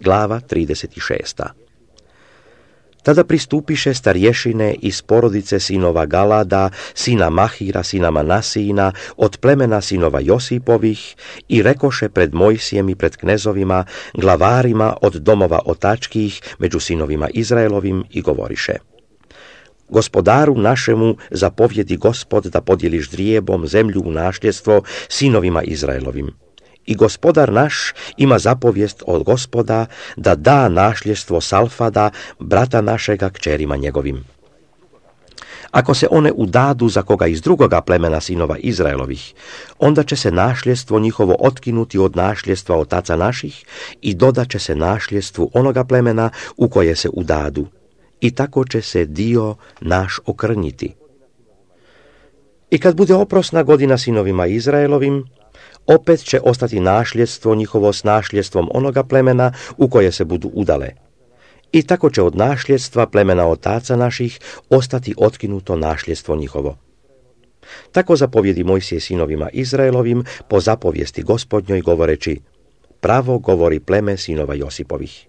glava 36. Tada pristupiše starješine iz porodice sinova Galada, sina Mahira, sina Manasijina, od plemena sinova Josipovih, i rekoše pred Mojsijem i pred knezovima, glavarima od domova otačkih, među sinovima Izraelovim, i govoriše: Gospodaru našemu zapovjedi Gospod da podijeliš ždrijebom zemlju u nasljedstvo sinovima Izraelovim. I gospodar naš ima zapovijest od Gospoda da da nasljedstvo Salfada, brata našega, kćerima njegovim. Ako se one udadu za koga iz drugoga plemena sinova Izraelovih, onda će se nasljedstvo njihovo otkinuti od nasljedstva otaca naših i dodat će se nasljedstvu onoga plemena u koje se udadu. I tako će se dio naš okrnjiti. I kad bude oprosna godina sinovima Izraelovim, opet će ostati nasljedstvo njihovo s nasljedstvom onoga plemena u koje se budu udale. I tako će od nasljedstva plemena otaca naših ostati otkinuto nasljedstvo njihovo. Tako zapovjedi Mojsije sinovima Izraelovim po zapovijesti Gospodnjoj, govoreći: Pravo govori pleme sinova Josipovih.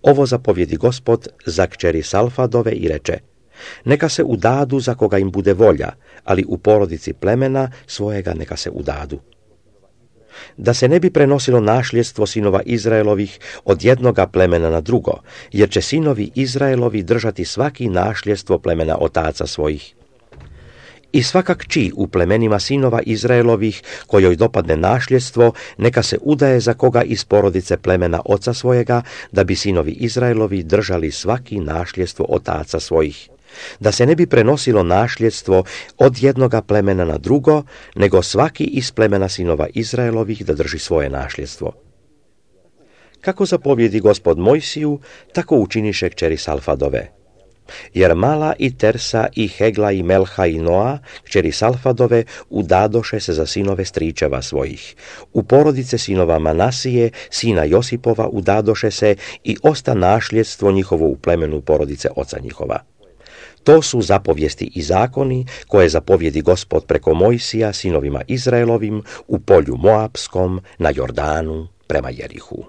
Ovo zapovjedi Gospod za kćeri Salfadove i reče: Neka se udadu za koga im bude volja, ali u porodici plemena svojega neka se udadu. Da se ne bi prenosilo nasljedstvo sinova Izraelovih od jednoga plemena na drugo, jer će sinovi Izraelovi držati svaki nasljedstvo plemena otaca svojih. I svaka kći u plemenima sinova Izraelovih, kojoj dopadne nasljedstvo, neka se udaje za koga iz porodice plemena oca svojega, da bi sinovi Izraelovi držali svaki nasljedstvo otaca svojih. Da se ne bi prenosilo nasljedstvo od jednoga plemena na drugo, nego svaki iz plemena sinova Izraelovih da drži svoje nasljedstvo. Kako zapovjedi Gospod Mojsiju, tako učiniše kćeri Salfadove. Jer Mala i Tersa i Hegla i Melha i Noa, kćeri Salfadove, udadoše se za sinove stričeva svojih. U porodice sinova Manasije, sina Josipova, udadoše se i osta nasljedstvo njihovo u plemenu porodice oca njihova. To su zapovijesti i zakoni koje zapovjedi Gospod preko Mojsija sinovima Izraelovim u polju Moapskom na Jordanu prema Jerihu.